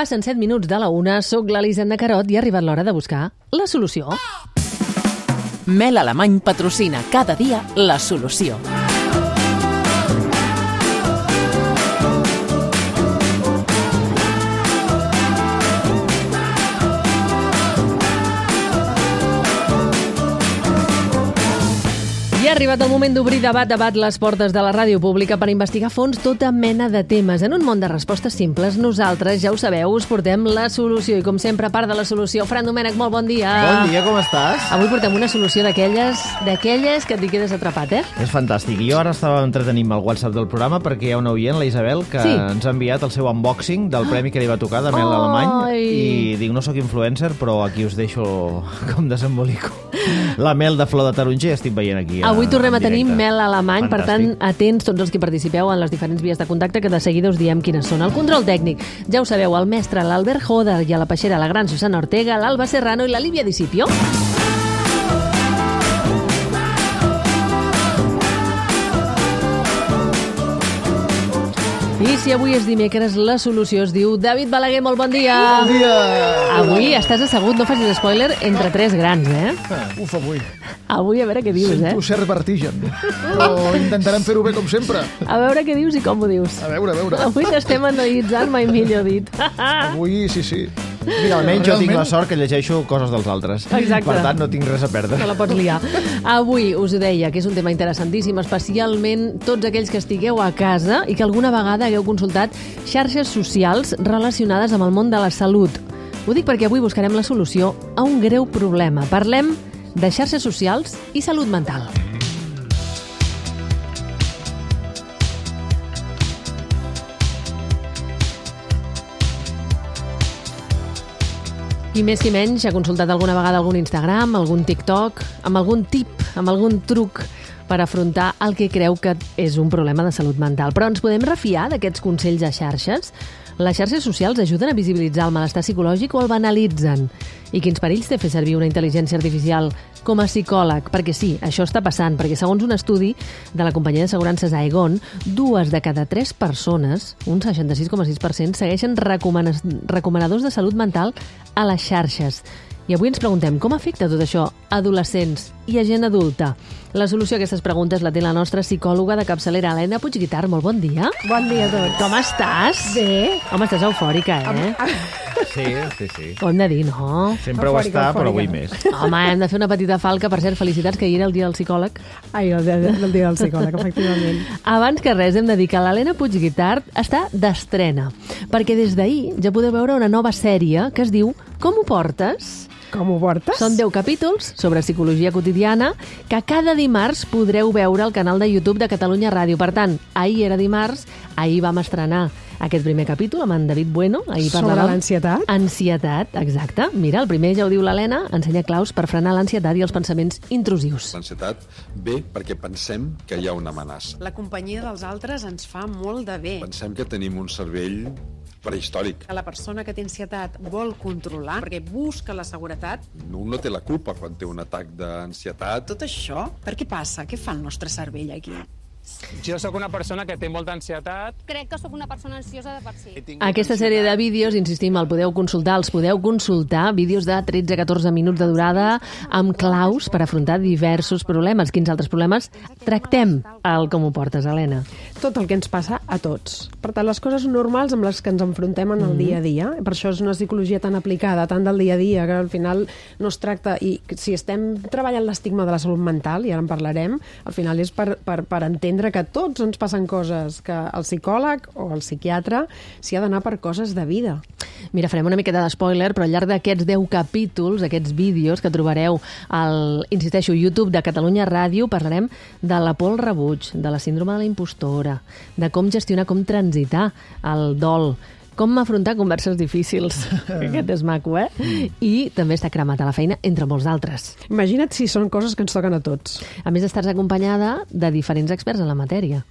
Passen 7 minuts de la 1, soc l'Elisenda Carot i ha arribat l'hora de buscar la solució. Mel Alemany patrocina cada dia la solució. I ha arribat el moment d'obrir debat les portes de la ràdio pública per investigar a fons tota mena de temes. En un món de respostes simples, nosaltres, ja ho sabeu, us portem la solució. I com sempre, part de la solució, Fran Domènech, molt bon dia. Bon dia, com estàs? Avui portem una solució d'aquelles que et quedes atrapat, eh? És fantàstic. Jo ara estava entretenint al WhatsApp del programa perquè hi ha una oient, la Isabel, que ens ha enviat el seu unboxing del premi que li va tocar de Mel Alemany. I dic, no sóc influencer, però aquí us deixo com desembolico. La mel de flor de taronger estic veient aquí. Avui tornem a tenir Mel Alemany, per tant, atents tots els que participeu en les diferents vies de contacte, que de seguida us diem quines són. El control tècnic, ja ho sabeu, el mestre, l'Albert Joder, i a la peixera, la gran Susana Ortega, l'Alba Serrano i la Lívia Discipio. I si avui és dimecres, la solució es diu David Balaguer, molt bon dia. Bon dia. Avui estàs assegut, no facis spoiler, entre tres grans, eh? Uf, avui. Avui a veure què dius, Sento cert vertigen. Però intentarem fer-ho bé com sempre. A veure què dius i com ho dius. A veure. Avui t'estem analitzant, mai millor dit. Avui, sí. Mira, almenys jo tinc la sort que llegeixo coses dels altres. Exacte. Per tant, no tinc res a perdre. No la pots liar. Avui us ho deia, que és un tema interessantíssim, especialment tots aquells que estigueu a casa i que alguna vegada hagueu consultat xarxes socials relacionades amb el món de la salut. Ho dic perquè avui buscarem la solució a un greu problema. Parlem de xarxes socials i salut mental. Qui més qui menys ha consultat alguna vegada algun Instagram, algun TikTok, amb algun tip, amb algun truc per afrontar el que creu que és un problema de salut mental. Però ens podem refiar d'aquests consells a xarxes? Les xarxes socials ajuden a visibilitzar el malestar psicològic o el banalitzen? I quins perills té fer servir una intel·ligència artificial com a psicòleg? Perquè sí, això està passant, perquè segons un estudi de la companyia d'assegurances Aegon, 2 de cada 3 persones, un 66,6%, segueixen recomanadors de salut mental a les xarxes. I avui ens preguntem com afecta tot això a adolescents i a gent adulta. La solució a aquestes preguntes la té la nostra psicòloga de capçalera, Helena Puigguitart. Molt bon dia. Bon dia a tots. Com estàs? Bé. Home, estàs eufòrica, eh? Sí. Ho hem de dir, no? Sempre ho està, però avui més. Home, hem de fer una petita falca. Per cert, felicitats, que ahir era el dia del psicòleg. Ai, el dia del psicòleg, efectivament. Abans que res, hem de dir que l'Helena Puigguitart està d'estrena, perquè des d'ahir ja podeu veure una nova sèrie que es diu Com ho portes? Com ho portes? Són 10 capítols sobre psicologia quotidiana que cada dimarts podreu veure al canal de YouTube de Catalunya Ràdio. Per tant, ahir era dimarts, ahir vam estrenar aquest primer capítol amb en David Bueno. Sobre l'ansietat? Ansietat, exacte. Mira, el primer ja ho diu l'Helena, ensenya claus per frenar l'ansietat i els pensaments intrusius. L'ansietat ve perquè pensem que hi ha una amenaça. La companyia dels altres ens fa molt de bé. Pensem que tenim un cervell prehistòric. Que la persona que té ansietat vol controlar perquè busca la seguretat. Un no té la culpa quan té un atac d'ansietat. Tot això, per què passa? Què fa el nostre cervell aquí? Jo sóc una persona que té molta ansietat. Crec que sóc una persona ansiosa de per si. Aquesta sèrie de vídeos, insistim, els podeu consultar, vídeos de 13-14 minuts de durada amb claus per afrontar diversos problemes. Quins altres problemes tractem al Com ho portes, Helena? Tot el que ens passa a tots. Per tant, les coses normals amb les que ens enfrontem en el dia a dia. Per això és una psicologia tan aplicada, tan del dia a dia, que al final no es tracta... I si estem treballant l'estigma de la salut mental, i ara en parlarem, al final és per entendre que tots ens passen coses, que el psicòleg o el psiquiatre s'hi ha d'anar per coses de vida. Mira, farem una miqueta d'espoiler, però al llarg d'aquests 10 capítols, aquests vídeos que trobareu al, insisteixo, YouTube de Catalunya Ràdio, parlarem de la por al rebuig, de la síndrome de la impostora, de com gestionar, com transitar el dol, com afrontar converses difícils. Aquest és maco, eh? I també està cremat a la feina, entre molts d'altres. Imagina't si són coses que ens toquen a tots. A més, estàs acompanyada de diferents experts en la matèria.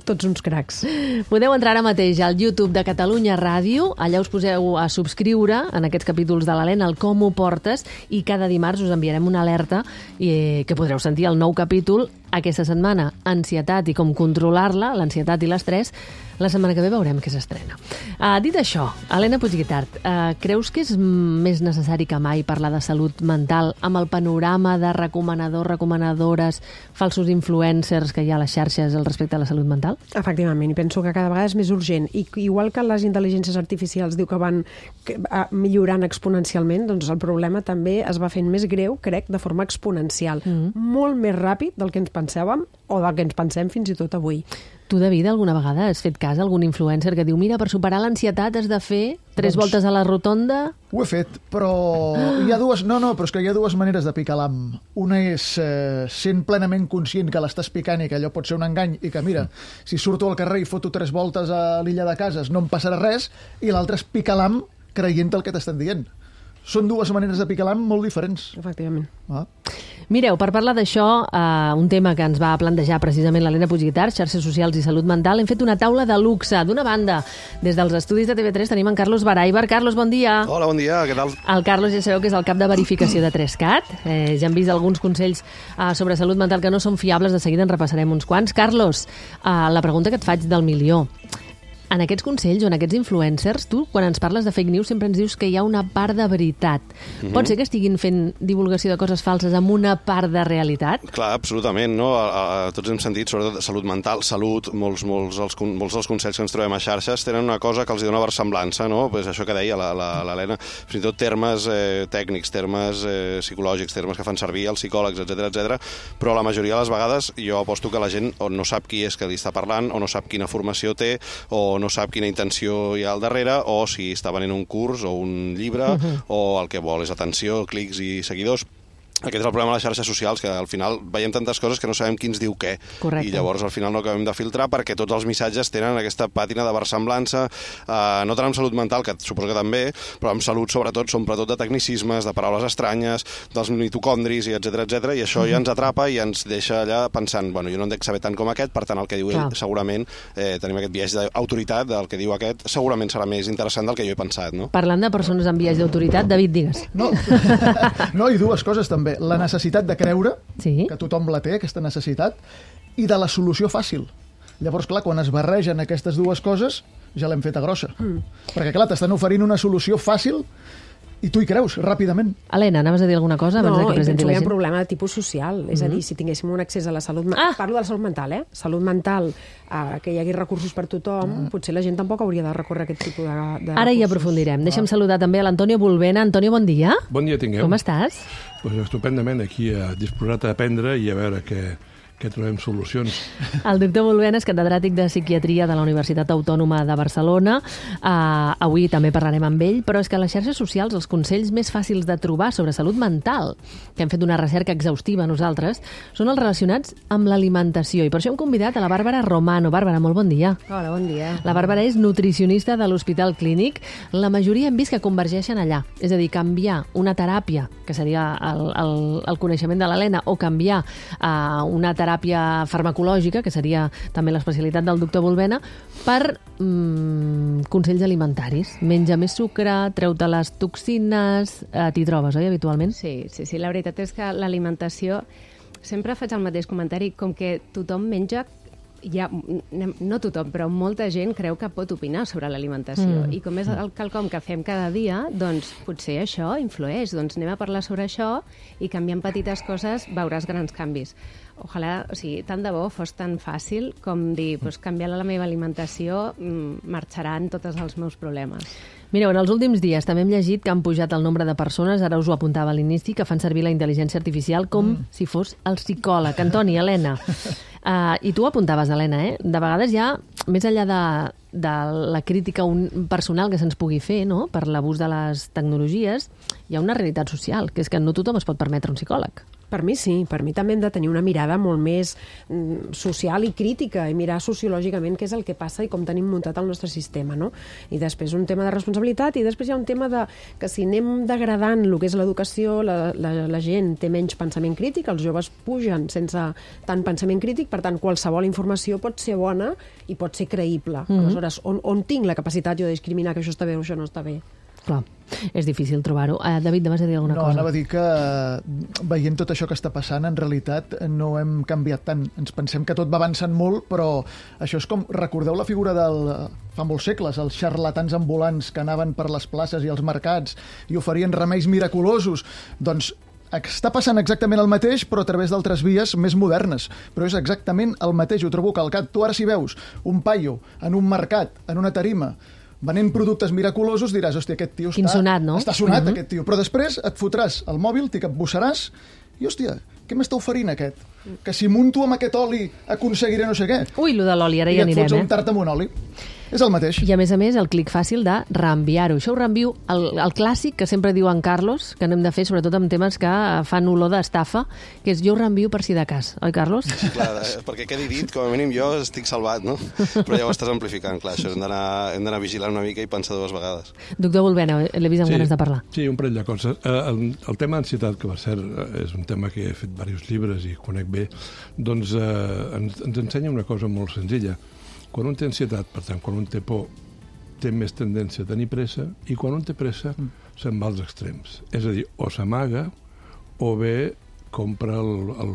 Tots uns cracs. Podeu entrar ara mateix al YouTube de Catalunya Ràdio, allà us poseu a subscriure en aquests capítols de l'Helena, el Com ho portes, i cada dimarts us enviarem una alerta que podreu sentir el nou capítol aquesta setmana ansietat i com controlar-la, l'ansietat i l'estrès, la setmana que ve veurem què s'estrena. Dit això, Helena Puigguitart, creus que és més necessari que mai parlar de salut mental amb el panorama de recomanadors, recomanadores, falsos influencers que hi ha a les xarxes al respecte a la salut mental? Efectivament, i penso que cada vegada és més urgent. I igual que les intel·ligències artificials diu que van millorant exponencialment, doncs el problema també es va fent més greu, crec, de forma exponencial. Molt més ràpid del que ens pensàvem o del que ens pensem fins i tot avui. Tu, David, alguna vegada has fet cas a algun influencer que diu mira, per superar l'ansietat has de fer 3 voltes a la rotonda? Ho he fet, però hi ha dues... No, però és que hi ha dues maneres de picar l'ham. Una és sent plenament conscient que l'estàs picant i que allò pot ser un engany i que, mira, si surto al carrer i foto 3 voltes a l'illa de Cases no em passarà res, i l'altra és picar l'ham creient el que t'estan dient. Són dues maneres de picar l'ham molt diferents. Efectivament. Mireu, per parlar d'això, un tema que ens va plantejar precisament l'Helena Puigguitart, xarxes socials i salut mental, hem fet una taula de luxe. D'una banda, des dels estudis de TV3 tenim en Carlos Baraibar. Carlos, bon dia. Hola, bon dia, què tal? El Carlos ja sabeu que és el cap de verificació de 3CAT. Ja hem vist alguns consells sobre salut mental que no són fiables, de seguida en repassarem uns quants. Carlos, la pregunta que et faig del milió. En aquests consells o en aquests influencers, tu, quan ens parles de fake news, sempre ens dius que hi ha una part de veritat. Pot ser que estiguin fent divulgació de coses falses amb una part de realitat? Clar, absolutament, no? Tots hem sentit, sobretot de salut mental, salut, molts dels consells que ens trobem a xarxes tenen una cosa que els dona versemblança, no? Pues això que deia l'Helena, fins i tot termes tècnics, termes psicològics, termes que fan servir els psicòlegs, etc, però la majoria de les vegades jo aposto que la gent o no sap qui és que li està parlant, o no sap quina formació té, o no sap quina intenció hi ha al darrere, o si està venent un curs o un llibre, o el que vol és atenció, clics i seguidors. Aquest és el problema de les xarxes socials, que al final veiem tantes coses que no sabem qui ens diu què. Correcte. I llavors al final no acabem de filtrar perquè tots els missatges tenen aquesta pàtina de versemblança, no tant amb salut mental, que suposo que també, però amb salut sobretot són de tecnicismes, de paraules estranyes, dels mitocondris, etc, i això ja ens atrapa i ens deixa allà pensant, bueno, jo no en dec saber tant com aquest, per tant el que diu ell segurament, tenim aquest biaix d'autoritat, del que diu aquest, segurament serà més interessant del que jo he pensat, no? Parlant de persones amb biaix d'autoritat, David, digues. No, i dues coses també. La necessitat de creure, que tothom la té, aquesta necessitat, i de la solució fàcil. Llavors, clar, quan es barregen aquestes dues coses, ja l'hem feta grossa. Perquè, clar, t'estan oferint una solució fàcil i tu hi creus, ràpidament. Helena, anaves a dir alguna cosa abans que presenti la gent? No, penso que hi ha un problema de tipus social. És a dir, si tinguéssim un accés a la salut mental... Parlo de la salut mental, Salut mental, que hi hagi recursos per tothom, potser la gent tampoc hauria de recórrer a aquest tipus de recursos. Ara hi aprofundirem. Deixa'm saludar també a l'Antonio Bulbena. Antonio, bon dia. Bon dia tingueu. Com estàs? Pues estupendament, aquí disposat a aprendre i a veure que trobem solucions. El doctor Bulbena és catedràtic de psiquiatria de la Universitat Autònoma de Barcelona. Avui també parlarem amb ell, però és que a les xarxes socials els consells més fàcils de trobar sobre salut mental, que hem fet una recerca exhaustiva nosaltres, són els relacionats amb l'alimentació. I per això hem convidat a la Bàrbara Romano. Bàrbara, molt bon dia. Hola, bon dia. La Bàrbara és nutricionista de l'Hospital Clínic. La majoria hem vist que convergeixen allà. És a dir, canviar una teràpia, que seria el coneixement de l'Helena, o canviar una teràpia farmacològica, que seria també l'especialitat del doctor Bulbena, per consells alimentaris. Menja més sucre, treu-te les toxines... T'hi trobes, oi, habitualment? Sí. La veritat és que l'alimentació... Sempre faig el mateix comentari, com que tothom menja... no tothom, però molta gent creu que pot opinar sobre l'alimentació. I com és quelcom que fem cada dia, doncs potser això influeix. Doncs anem a parlar sobre això i canviant petites coses veuràs grans canvis. Ojalà, tant de bo fos tan fàcil com dir, canviar la meva alimentació marxaran tots els meus problemes. Mireu, en els últims dies també hem llegit que han pujat el nombre de persones, ara us ho apuntava a l'inici, que fan servir la intel·ligència artificial com si fos el psicòleg. Antoni, Helena, i tu ho apuntaves, Helena, de vegades ja, més enllà de la crítica personal que se'ns pugui fer, no?, per l'abús de les tecnologies, hi ha una realitat social, que és que no tothom es pot permetre un psicòleg. Per mi sí, per mi també hem de tenir una mirada molt més social i crítica i mirar sociològicament què és el que passa i com tenim muntat el nostre sistema, no? I després un tema de responsabilitat i després hi ha un tema de que si anem degradant el que és l'educació, la gent té menys pensament crític, els joves pugen sense tant pensament crític, per tant qualsevol informació pot ser bona i pot ser creïble. Aleshores, on tinc la capacitat jo de discriminar que això està bé o això no està bé? Clar. És difícil trobar-ho. David, vas a dir alguna cosa? No, anava a dir que veient tot això que està passant, en realitat no hem canviat tant. Ens pensem que tot va avançant molt, però això és com... Recordeu la figura fa molts segles, els xarlatans ambulants que anaven per les places i els mercats i oferien remeis miraculosos? Doncs està passant exactament el mateix, però a través d'altres vies més modernes. Però és exactament el mateix, ho trobo calcat. Tu ara si veus un paio en un mercat, en una tarima, venent productes miraculosos, diràs, hòstia, aquest tio està sonat, aquest tio. Però després et fotràs el mòbil, t'hi capbussaràs i, hòstia, què m'està oferint aquest? Que si munto amb aquest oli aconseguiré no sé què. Ui, lo de l'oli, ara I ja et anirem, fots un tart amb un oli. És el mateix. I a més, el clic fàcil de reenviar-ho. Això ho reenvio, el clàssic que sempre diu en Carlos, que n'hem de fer sobretot amb temes que fan olor d'estafa, que és jo ho reenvio per si de cas. Oi, Carlos? Sí, clar, perquè quedi dit, com a mínim jo estic salvat, no? Però ja ho estàs amplificant, clar, això hem d'anar vigilant una mica i pensar dues vegades. Doctor Bulbena, l'he vist amb ganes de parlar. Sí, un parell de coses. El tema d'ansietat, que per cert és un tema que he fet diversos llibres i conec bé, doncs ens ensenya una cosa molt senzilla. Quan un té ansietat, per tant, quan un té por, té més tendència a tenir pressa, i quan un té pressa se'n va als extrems. És a dir, o s'amaga o bé compra el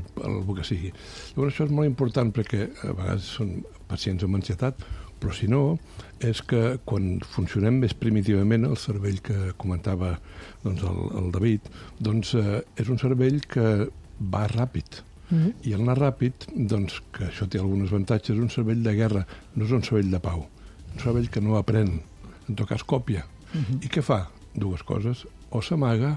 que sigui. Llavors això és molt important perquè a vegades són pacients amb ansietat, però si no, és que quan funcionem més primitivament, el cervell que comentava doncs, el David, doncs, és un cervell que va ràpid. I el anar ràpid, doncs, que això té alguns avantatges, és un cervell de guerra, no és un cervell de pau. Un cervell que no aprèn, en tot cas còpia. I què fa? Dues coses. O s'amaga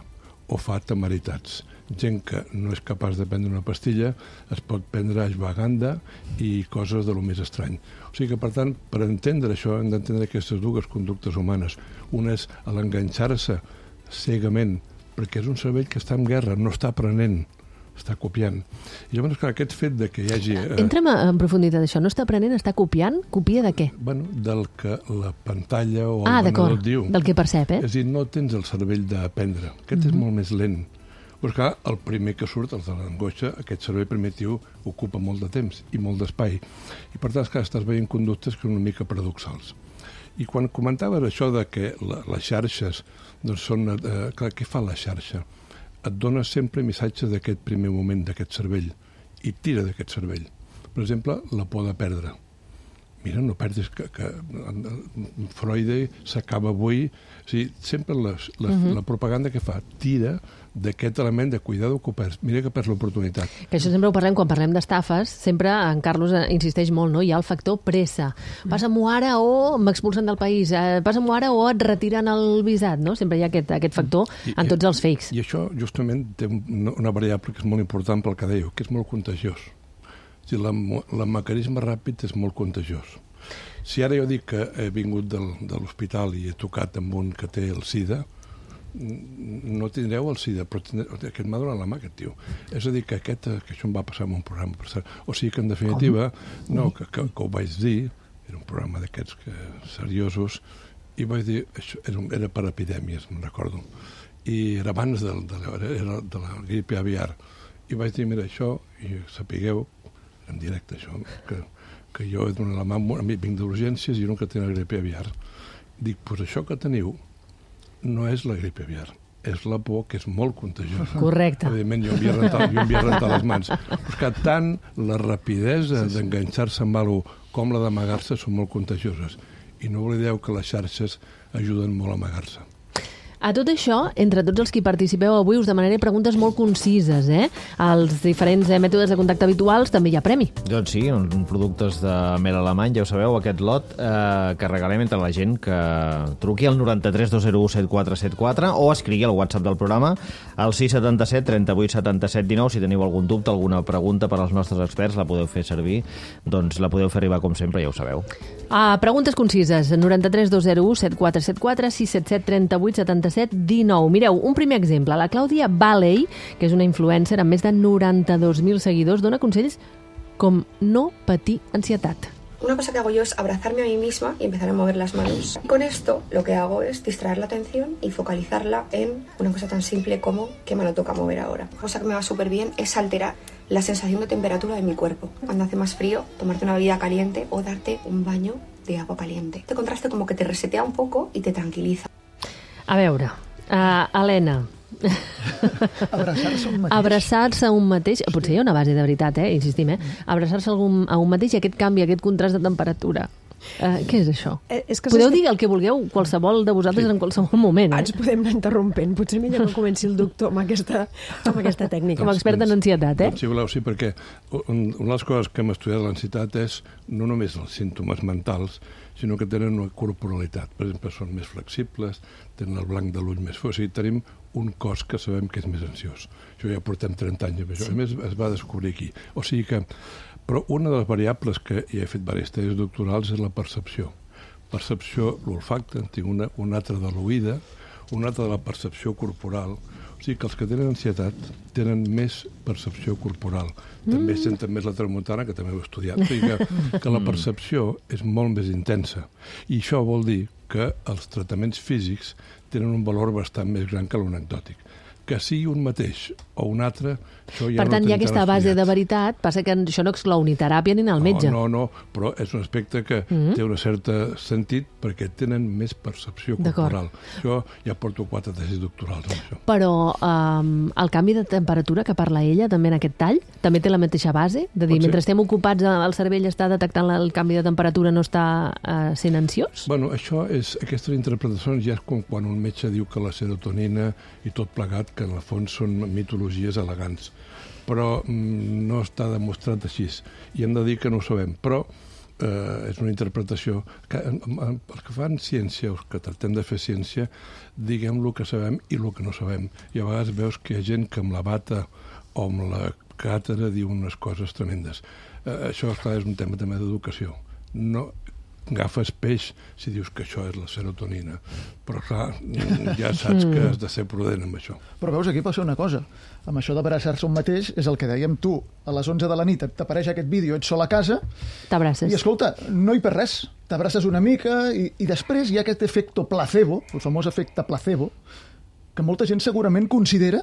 o fa temeritats. Gent que no és capaç de prendre una pastilla es pot prendre ashwagandha i coses de lo més estrany. O sigui que, per tant, per entendre això hem d'entendre aquestes dues conductes humanes. Una és l'enganxar-se cegament, perquè és un cervell que està en guerra, no està aprenent, està copiant. I llavors, clar, aquest fet de que hi hagi... Entrem en profunditat d'això. No està aprenent, està copiant? Copia de què? Bueno, del que la pantalla o el venedor et diu. Del que percep, És a dir, no tens el cervell d'aprendre. Aquest és molt més lent. Però, clar, el primer que surt, el de l'angoixa, aquest cervell primitiu ocupa molt de temps i molt d'espai. I, per tant, estàs veient conductes que són una mica paradoxals. I quan comentaves això de que les xarxes doncs són... Clar, què fa la xarxa? Et dona sempre missatges d'aquest primer moment, d'aquest cervell, i tira d'aquest cervell. Per exemple, la por de perdre. Mira, no perdis que Freud s'acaba avui. O sigui, sempre la propaganda que fa tira d'aquest element de cuidado que perds. Mira que perds l'oportunitat. Que això sempre ho parlem quan parlem d'estafes. Sempre en Carlos insisteix molt, no? Hi ha el factor pressa. Passa-m'ho ara o m'expulsen del país. Passa-m'ho ara o et retiren el visat, no? Sempre hi ha aquest factor en tots els fakes. I això justament té una variable que és molt important pel que dèieu, que és molt contagiós. O sigui, el mecanisme ràpid és molt contagiós. Si ara jo dic que he vingut de l'hospital i he tocat amb un que té el SIDA, no tindreu el SIDA, però aquest m'ha donat la mà, aquest tio. És a dir, que això em va passar en un programa. O sigui que, en definitiva, no, que ho vaig dir, era un programa d'aquests seriosos, i vaig dir, això era per epidèmies, me'n recordo. I era abans de la gripe aviar. I vaig dir, mira, això, i sapigueu, en directe, això, que jo he donat la mà, a mi vinc d'urgències i un que té la gripe aviar. Dic, doncs això que teniu no és la gripe aviar, és la por, que és molt contagiosa. Correcte. Evidentment, jo em havia rentat les mans. Però és que tant la rapidesa d'enganxar-se amb alguna cosa com la d'amagar-se són molt contagioses. I no oblideu que les xarxes ajuden molt a amagar-se. A tot això, entre tots els que participeu avui, us demanaré preguntes molt concises, als diferents mètodes de contacte habituals també hi ha premi. Doncs sí, productes de mel alemany, ja ho sabeu, aquest lot que regalem entre la gent que truqui al 93 201 7474 o escrigui al WhatsApp del programa al 677 38 77 19. Si teniu algun dubte, alguna pregunta per als nostres experts, la podeu fer servir, doncs la podeu fer arribar com sempre, ja ho sabeu. Preguntes concises, 93 201 7474 677 38 77 19. Mireu, un primer exemple. La Clàudia Valley, que és una influencer amb més de 92.000 seguidors, dona consells com no patir ansietat. Una cosa que hago yo es abrazarme a mí misma y empezar a mover las manos. Y con esto lo que hago es distraer la atención y focalizarla en una cosa tan simple como qué mano toca mover ahora. Una cosa que me va súper bien es alterar la sensación de temperatura de mi cuerpo. Cuando hace más frío, tomarte una bebida caliente o darte un baño de agua caliente. Este contraste como que te resetea un poco y te tranquiliza. A veure, Helena... Abraçar-se a un mateix. Abraçar-se a un mateix, potser hi ha una base de veritat, insistim, abraçar-se a un mateix i aquest canvi, aquest contrast de temperatura. Què és això? Podeu dir el que vulgueu, qualsevol de vosaltres en qualsevol moment. Ens podem anar interrompent. Potser millor que comenci el doctor amb aquesta tècnica. Com a expert en ansietat, Si voleu, sí, perquè una de les coses que hem estudiat de l'ansietat és no només els símptomes mentals, sinó que tenen una corporalitat. Per exemple, són més flexibles, tenen el blanc de l'ull més fosc, i tenim un cos que sabem que és més ansiós. Això ja portem 30 anys amb això. A més, es va descobrir aquí. O sigui que... Però una de les variables que hi he fet diverses tesis doctorals és la percepció. Percepció, l'olfacte, en tinc una altra de l'oïda, una altra de la percepció corporal. O sigui que els que tenen ansietat tenen més percepció corporal. També senten més la tramuntana, que també ho he estudiat. O sigui que la percepció és molt més intensa. I això vol dir que els tractaments físics tenen un valor bastant més gran que l'anecdòtic. Que sigui un mateix o un altre, això ja per tant, hi ha aquesta base de veritat, passa que això no exclou ni teràpia ni anar al metge. No, però és un aspecte que té un cert sentit perquè tenen més percepció corporal. Això ja porto 4 tesis doctorals amb això. Però el canvi de temperatura que parla ella també en aquest tall, també té la mateixa base? De dir, mentre estem ocupats, el cervell està detectant el canvi de temperatura, no està sent ansiós? Bueno, aquestes interpretacions ja és com quan un metge diu que la serotonina i tot plegat, que en el fons són mitologies elegants, però no està demostrat així. I hem de dir que no ho sabem, però és una interpretació que els que fan ciència, els que tractem de fer ciència, diguem el que sabem i el que no sabem. I a vegades veus que hi ha gent que amb la bata o amb la càtedra diu unes coses tremendes. Això, esclar, és un tema també d'educació. No agafes peix si dius que això és la serotonina. Però, clar, ja saps que has de ser prudent amb això. Però veus, aquí passa una cosa. Amb això d'abraçar-se un mateix, és el que dèiem tu. A les 11 de la nit t'apareix aquest vídeo, ets sol a casa... T'abraces. I, escolta, no hi per res. T'abraces una mica i després hi ha aquest efecte placebo, el famós efecte placebo, que molta gent segurament considera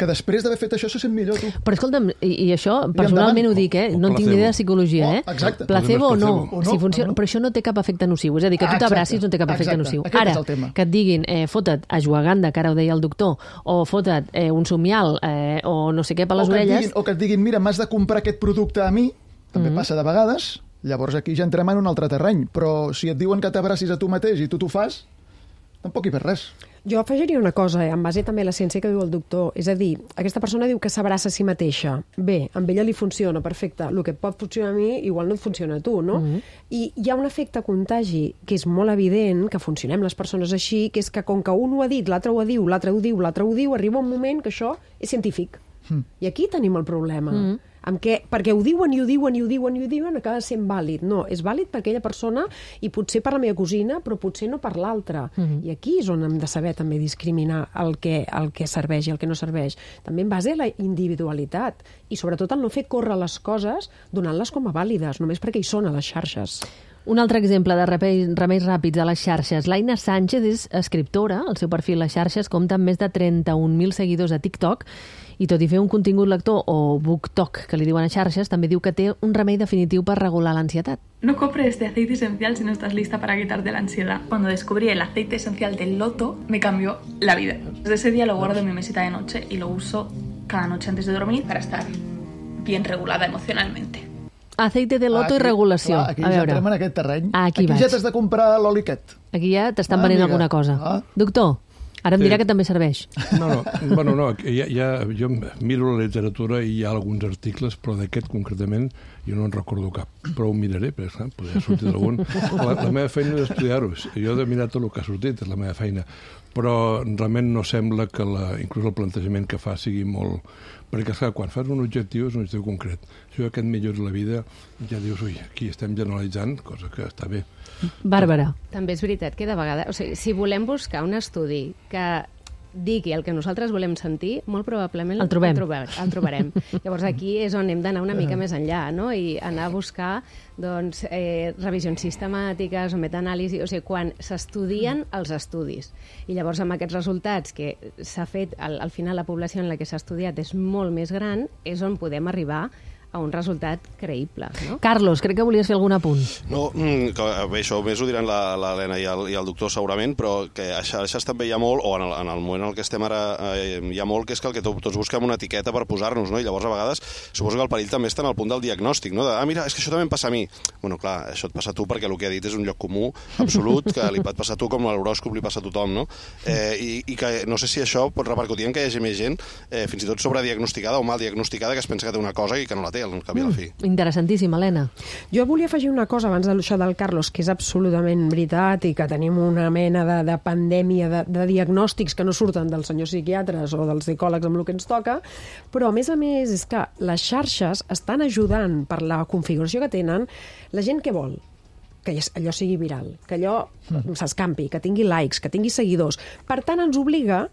que després d'haver fet això se sent millor, tu. Però escolta'm, i això personalment ho dic, no en tinc ni idea de psicologia, Exacte. Placebo o no, si funciona, però això no té cap efecte nociu, és a dir, que tu t'abracis no té cap efecte nociu. Ara, que et diguin, fota't ashwagandha, que ara ho deia el doctor, o fota't un somial, o no sé què per les orelles... O que et diguin, mira, m'has de comprar aquest producte a mi, també passa de vegades, llavors aquí ja entrem en un altre terreny, però si et diuen que t'abracis a tu mateix i tu t'ho fas, tampoc hi per res. Jo afegiria una cosa, en base també a la ciència que diu el doctor. És a dir, aquesta persona diu que s'abraça a si mateixa. Bé, amb ella li funciona, perfecte. El que pot funcionar a mi, igual no et funciona a tu, no? I hi ha un efecte contagi que és molt evident, que funcionem les persones així, que és que com que un ho ha dit, l'altre ho diu, l'altre ho diu, l'altre ho diu, arriba un moment que això és científic. I aquí tenim el problema. Perquè ho diuen i ho diuen i ho diuen i ho diuen, acaba sent vàlid. No, és vàlid per aquella persona i potser per la meva cosina, però potser no per l'altra. I aquí és on hem de saber també discriminar el que serveix i el que no serveix. També en base a la individualitat i sobretot el no fer córrer les coses donant-les com a vàlides, només perquè hi són a les xarxes. Un altre exemple de remeis ràpids a les xarxes. l'Aina Sánchez és escriptora, el seu perfil a les xarxes compta amb més de 31.000 seguidors a TikTok i tot i fer un contingut lector o BookTok, que li diuen a xarxes, també diu que té un remei definitiu per regular l'ansietat. No compres este aceite esencial si no estás lista para quitarte la ansiedad. Cuando descubrí el aceite esencial del loto, me cambió la vida. Desde ese día lo guardo en mi mesita de noche y lo uso cada noche antes de dormir para estar bien regulada emocionalmente. Aceite de loto i regulació. Aquí ja entrem en aquest terreny. Aquí ja t'has de comprar l'oli aquest. Aquí ja t'estan venent alguna cosa. Doctor, ara em dirà que també serveix. No, jo miro la literatura i hi ha alguns articles, però d'aquest concretament jo no en recordo cap. Però ho miraré, perquè podria sortir d'algun. La meva feina és estudiar-ho. Jo he de mirar tot el que ha sortit, és la meva feina. Però realment no sembla que inclús el plantejament que fa sigui molt... Perquè, esclar, quan fas un objectiu és un objectiu concret. Si aquest millora la vida, ja dius, ui, aquí estem generalitzant, cosa que està bé. Bàrbara. També és veritat que de vegades... O sigui, si volem buscar un estudi que digui el que nosaltres volem sentir, molt probablement el trobarem. Llavors aquí és on hem d'anar una mica més enllà, no? I anar a buscar doncs, revisions sistemàtiques o metaanàlisi, o sigui, quan s'estudien els estudis. I llavors amb aquests resultats que s'ha fet, al final la població en la que s'ha estudiat és molt més gran, és on podem arribar a un resultat creïble, no? Carlos, crec que volies fer algun apunt. No, bé, això més ho diran l'Helena i el doctor segurament, però que a xarxes també hi ha molt, o en el moment en què estem ara hi ha molt, que és que el que tots busquem una etiqueta per posar-nos, no? I llavors a vegades suposo que el perill també està en el punt del diagnòstic, no? Mira, és que això també em passa a mi. Bueno, clar, això et passa a tu perquè el que ha dit és un lloc comú absolut, que li pot passar a tu com l'horòscop li passa a tothom, no? I que no sé si això pot repercutir en que hi hagi més gent, fins i tot sobrediagnosticada o mal diagnosticada, que es pensa que té una cosa i que no la té, al cap i a la fi. Interessantíssim, Helena. Jo volia afegir una cosa abans d'això del Carlos, que és absolutament veritat i que tenim una mena de pandèmia de diagnòstics que no surten dels senyors psiquiatres o dels psicòlegs amb el que ens toca, però a més és que les xarxes estan ajudant per la configuració que tenen la gent que vol que allò sigui viral, que allò s'escampi, que tingui likes, que tingui seguidors. Per tant, ens obliga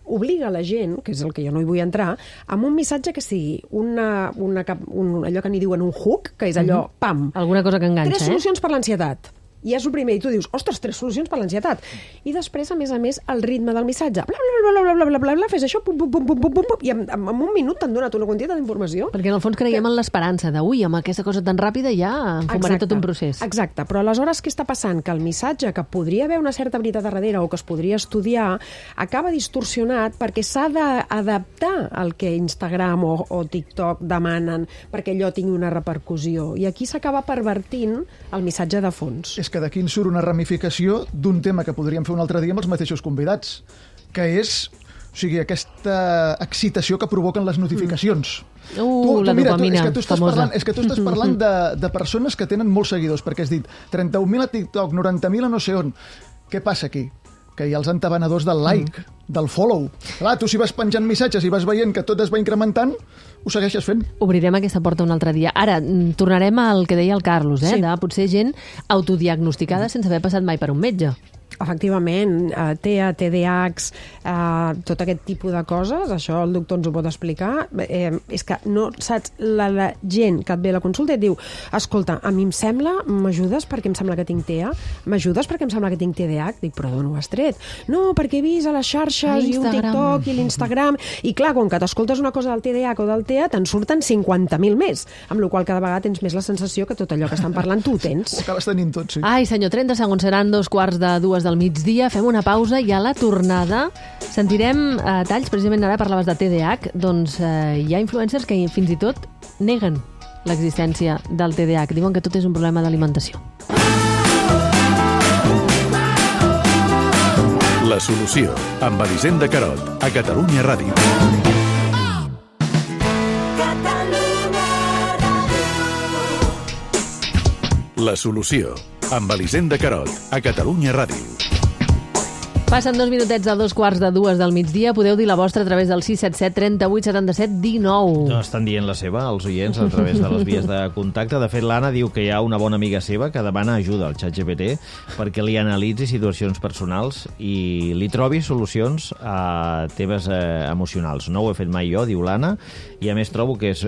la gent, que és el que jo no hi vull entrar, amb un missatge que sigui allò que n'hi diuen un hook, que és allò, pam. Alguna cosa que enganxa, 3 solucions per l'ansietat. I és el primer, i tu dius, ostres, 3 solucions per l'ansietat. I després, a més, el ritme del missatge. Bla, bla, bla, bla, bla, bla, bla, fes això, pum, pum, pum, pum, pum, pum, i en un minut t'han donat una quantitat d'informació. Perquè en el fons creiem en l'esperança de, amb aquesta cosa tan ràpida ja enfumaré tot un procés. Exacte, però aleshores què està passant? Que el missatge, que podria haver una certa veritat darrere o que es podria estudiar, acaba distorsionat perquè s'ha d'adaptar al que Instagram o TikTok demanen perquè allò tingui una repercussió. I aquí s'acaba pervertint el missatge de fons. És que d'aquí en surt una ramificació d'un tema que podríem fer un altre dia amb els mateixos convidats, que és aquesta excitació que provoquen les notificacions. La dopamina, famosa. És que tu estàs parlant de persones que tenen molts seguidors, perquè has dit 31.000 a TikTok, 90.000 a no sé on. Què passa aquí? Que hi ha els entabanadors del like, del follow. Clar, tu si vas penjant missatges i vas veient que tot es va incrementant, ho segueixes fent. Obrirem aquesta porta un altre dia. Ara, tornarem al que deia el Carlos, de potser gent autodiagnosticada sense haver passat mai per un metge. Efectivament, TEA, TDAH, tot aquest tipus de coses, això el doctor ens ho pot explicar, és que no saps, la gent que et ve a la consulta et diu, escolta, a mi em sembla, m'ajudes perquè em sembla que tinc TEA? M'ajudes perquè em sembla que tinc TDAH? Dic, però d'on ho has tret? No, perquè he vist a les xarxes i un TikTok i l'Instagram, i clar, quan que t'escoltes una cosa del TDAH o del TEA, te'n surten 50.000 més, amb la qual cada vegada tens més la sensació que tot allò que estan parlant tu ho tens. Ho acabes tenint tot, sí. Ai, senyor, 30 segons seran 2:45 del migdia, fem una pausa i a la tornada sentirem talls, precisament ara parlaves de TDAH, doncs hi ha influencers que fins i tot neguen l'existència del TDAH, diuen que tot és un problema d'alimentació. La solució, amb Elisenda Carot, a Catalunya Ràdio. La solució, amb Elisenda Carot, a Catalunya Ràdio. Passen 2 minutets de 2:45 del migdia. Podeu dir la vostra a través del 677 38 77 19. No, estan dient la seva, els oients, a través de les vies de contacte. De fet, l'Anna diu que hi ha una bona amiga seva que demana ajuda al ChatGPT perquè li analitzi situacions personals i li trobi solucions a temes emocionals. No ho he fet mai jo, diu l'Anna, i a més trobo que és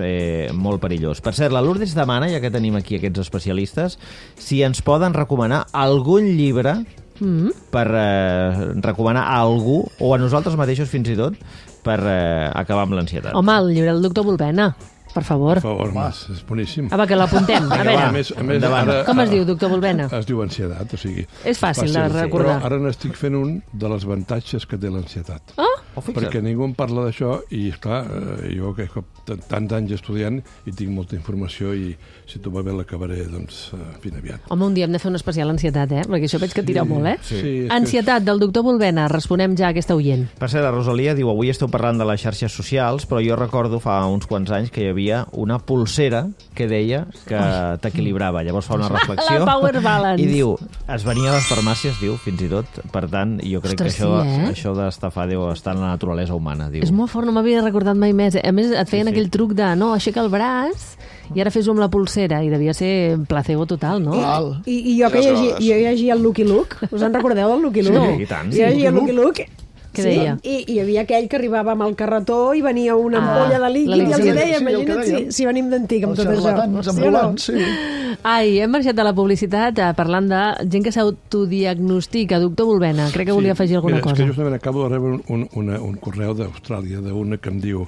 molt perillós. Per cert, la Lourdes demana, ja que tenim aquí aquests especialistes, si ens poden recomanar algun llibre per recomanar a algú, o a nosaltres mateixos fins i tot, per acabar amb l'ansietat. Home, el llibre del doctor Volpena, per favor. Per favor, és boníssim. Va, que l'apuntem. A veure, com es diu, doctor Volpena? Es diu ansietat, o sigui... És fàcil de recordar. Però ara n'estic fent un de les avantatges que té l'ansietat. Fixa't. Perquè ningú en parla d'això i, esclar, jo que tants anys estudiant i tinc molta informació i si tu va bé l'acabaré, doncs, ben aviat. Home, un dia hem de fer un especial ansietat, perquè això veig que tira molt, Sí, ansietat, del doctor Volpena. Responem ja a aquesta oient. Per cert, la Rosalia diu, avui esteu parlant de les xarxes socials, però jo recordo fa uns quants anys que hi havia una pulsera que deia que t'equilibrava. Llavors fa una reflexió la Power Balance. I diu, es venia a les farmàcies, diu, fins i tot. Per tant, jo crec que això d'estafar deu estar en la naturalesa humana, diu. És molt fort, no m'havia recordat mai més. A més, et feien aquell truc de, no, aixeca el braç i ara fes-ho amb la pulsera, i devia ser placebo total, no? I jo que llegia el Lucky Luke, us en recordeu del Lucky Luke? Sí, i tant. Jo llegia el Lucky Luke Què deia? I hi havia aquell que arribava amb el carretó i venia una ampolla de líquid i els deia, imagina't si venim d'antic amb tot això. Els xarlatans ambulants, sí. Ai, hem marxat de la publicitat parlant de gent que s'autodiagnostica. Doctor Bulbena, crec que volia afegir alguna cosa. És que justament acabo de rebre un correu d'Austràlia d'una que em diu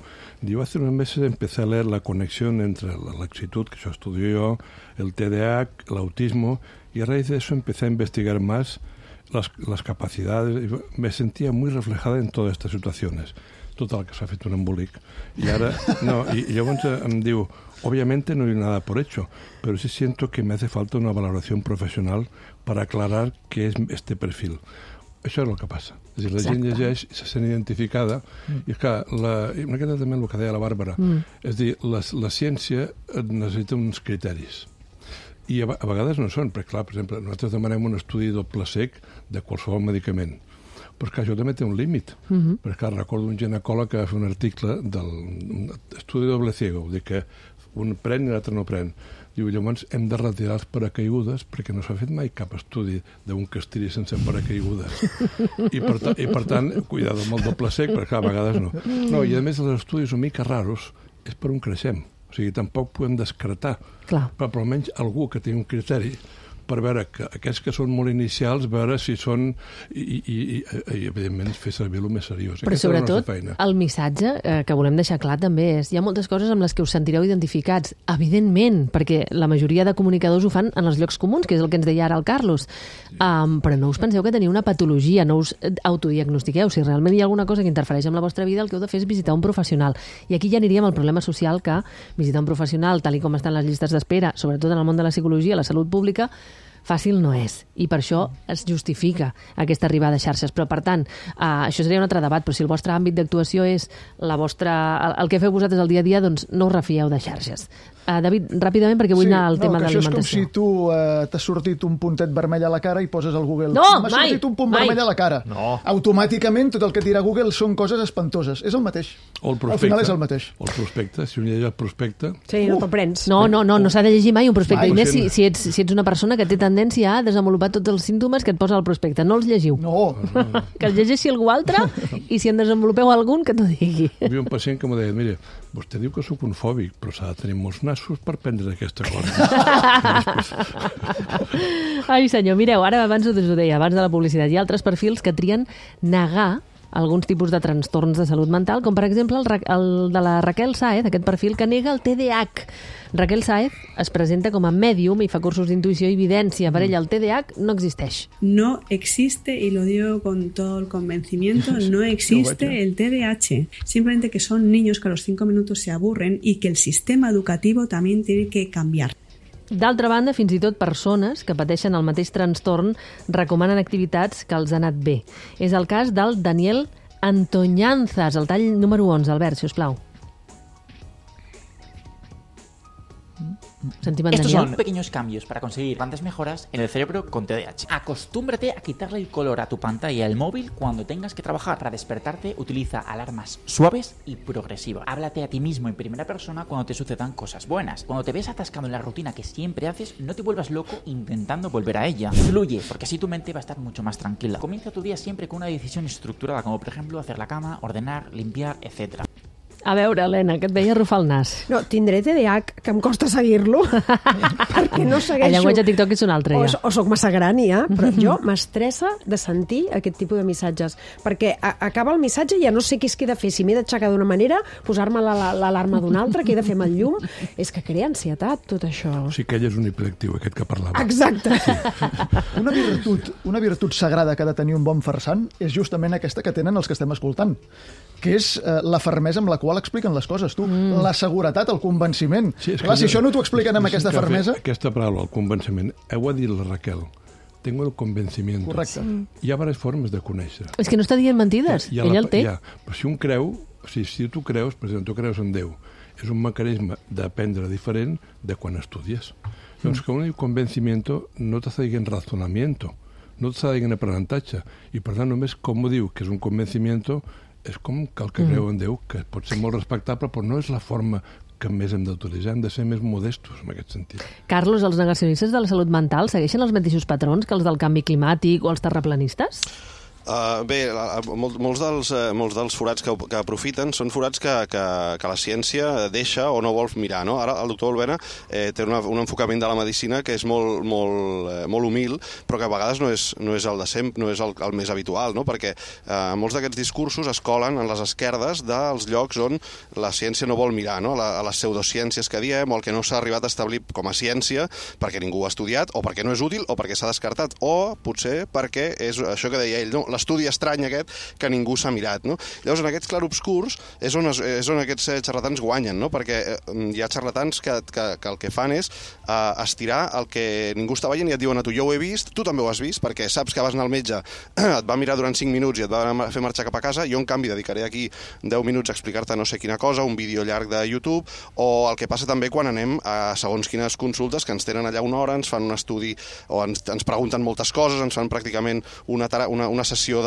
hace unos meses empecé a leer la conexión entre la laxitud, que eso estudio yo, el TDAH, el autismo, y a raíz de eso empecé a investigar más las capacidades. Me sentía muy reflejada en todas estas situaciones. Total, que s'ha fet un embolic. Y llavors em diu, obviamente no hay nada por hecho, pero sí siento que me hace falta una valoración profesional para aclarar qué es este perfil. Això és el que passa. És a dir, la gent llegeix i se sent identificada. I és que, una miqueta també el que deia la Bàrbara, és dir, la ciència necessita uns criteris. I a vegades no són, perquè clar, per exemple, nosaltres demanem un estudi doble cec de qualsevol medicament. Però és que això també té un límit. Perquè clar, recordo un ginecòleg que va fer un article del estudi doble ciego, vull dir que un pren i l'altre no pren. Diu, llavors hem de retirar els paracaigudes perquè no s'ha fet mai cap estudi d'un que es tiri sense paracaigudes. I per tant, cuidado amb el doble sec, perquè a vegades no. No, i a més els estudis una mica raros és per on creixem. O sigui, tampoc podem descartar. Però almenys algú que tingui un criteri per veure que aquests que són molt inicials, veure si són i evidentment fer servir el més seriós. Però sobretot el missatge que volem deixar clar també és hi ha moltes coses amb les que us sentireu identificats, evidentment, perquè la majoria de comunicadors ho fan en els llocs comuns, que és el que ens deia ara el Carlos, però no us penseu que teniu una patologia, no us autodiagnostiqueu. Si realment hi ha alguna cosa que interfereix amb la vostra vida, el que heu de fer és visitar un professional. I aquí ja aniríem al problema social que visitar un professional, tal com estan les llistes d'espera, sobretot en el món de la psicologia, la salut pública, fàcil no és, i per això es justifica aquesta arribada a xarxes. Però, per tant, això seria un altre debat, però si el vostre àmbit d'actuació és el que feu vosaltres al dia a dia, doncs no us refieu de xarxes. David, ràpidament, perquè vull anar al tema de l'alimentació. Això és com si tu t'has sortit un puntet vermell a la cara i poses al Google. No, m'ha sortit un punt vermell a la cara. No. Automàticament tot el que tira Google són coses espantoses. És el mateix. Al final és el mateix. O el prospecte, si un llegeix el prospecte... Sí, no te'l prens. No s'ha de llegir mai un prospecte. I més si ets una persona que té tendència a desenvolupar tots els símptomes que et posa al prospecte. No els llegiu. No. Que els llegeixi algú altre i si en desenvolupeu algun que t'ho digui. Hi havia un pacient que m'ho deia, mira, vostè diu que sóc un fòbic, però s'ha de tenir molts nassos per prendre aquesta cosa. Ai, senyor, mireu, ara abans us ho deia, abans de la publicitat, hi ha altres perfils que trien negar alguns tipus de trastorns de salut mental, com per exemple el de la Raquel Sáez, aquest perfil que nega el TDAH. Raquel Sáez es presenta com a mèdium i fa cursos d'intuïció i evidència. Per ella el TDAH no existeix. No existe, y lo digo con todo el convencimiento, no existe el TDAH. Simplemente que son niños que a los 5 minutos se aburren y que el sistema educativo también tiene que cambiar. D'altra banda, fins i tot persones que pateixen el mateix trastorn recomanen activitats que els han anat bé. És el cas del Daniel Antoñanzas, el tall número 11. Albert, si us plau. Estos son pequeños cambios para conseguir grandes mejoras en el cerebro con TDAH. Acostúmbrate a quitarle el color a tu pantalla del móvil cuando tengas que trabajar. Para despertarte, utiliza alarmas suaves y progresivas. Háblate a ti mismo en primera persona cuando te sucedan cosas buenas. Cuando te ves atascado en la rutina que siempre haces, no te vuelvas loco intentando volver a ella. Fluye, porque así tu mente va a estar mucho más tranquila. Comienza tu día siempre con una decisión estructurada, como por ejemplo hacer la cama, ordenar, limpiar, etc. A veure, Helena, que et veia arrufar el nas. No, tindré TDAH, que em costa seguir-lo, perquè no segueixo... El llenguatge TikTok és un altre, ja. O soc massa gran, ja, però jo m'estressa de sentir aquest tipus de missatges, perquè acaba el missatge i ja no sé què és que he de fer, si m'he d'aixecar d'una manera, posar-me l'alarma d'una altra, què he de fer amb el llum... És que crea ansietat, tot això. O sigui que ell és un hiperactiu, aquest que parlava. Exacte. Sí. Una virtut sagrada que ha de tenir un bon farsant és justament aquesta que tenen els que estem escoltant, que és la fermesa amb la qual expliquen les coses, tu. La seguretat, el convenciment. Sí, clar, si això no t'ho expliquen amb aquesta fermesa... Aquesta paraula, el convenciment, ho ha dit la Raquel. Tengo el convencimiento. Correcte. Hi ha diverses formes de conèixer. És que no està dient mentides, ell el té. Però si un creu, si tu creus, per exemple, tu creus en Déu, és un mecanisme d'aprendre diferent de quan estudies. Doncs que un diu convencimiento no t'està dient razonamiento, no t'està dient aprenentatge, i per tant només com ho diu, que és un convencimiento, és com que el que creu en Déu, que pot ser molt respectable, però no és la forma que més hem d'utilitzar, hem de ser més modestos en aquest sentit. Carlos, els negacionistes de la salut mental segueixen els mateixos patrons que els del canvi climàtic o els terraplanistes? Bé, molts dels forats que aprofiten són forats que la ciència deixa o no vol mirar, no? Ara el doctor Olvena té un enfocament de la medicina que és molt humil, però que a vegades no és el de sempre, no és el més habitual, no? Perquè molts d'aquests discursos es colen en les esquerdes dels llocs on la ciència no vol mirar, no? A les pseudociències que diem, o el que no s'ha arribat a establir com a ciència perquè ningú ho ha estudiat, o perquè no és útil, o perquè s'ha descartat, o potser perquè és això que deia ell, no? L'estudi estrany aquest que ningú s'ha mirat, no? Llavors, en aquests clarobscurs és on aquests xarlatans guanyen, no? Perquè hi ha xarlatans que el que fan és estirar el que ningú està veient i et diuen a tu, jo ho he vist, tu també ho has vist, perquè saps que vas anar al metge, et va mirar durant 5 minuts i et va fer marxar cap a casa, jo en canvi dedicaré aquí 10 minuts a explicar-te no sé quina cosa, un vídeo llarg de YouTube, o el que passa també quan anem a segons quines consultes que ens tenen allà una hora, ens fan un estudi o ens pregunten moltes coses, ens fan pràcticament una sessió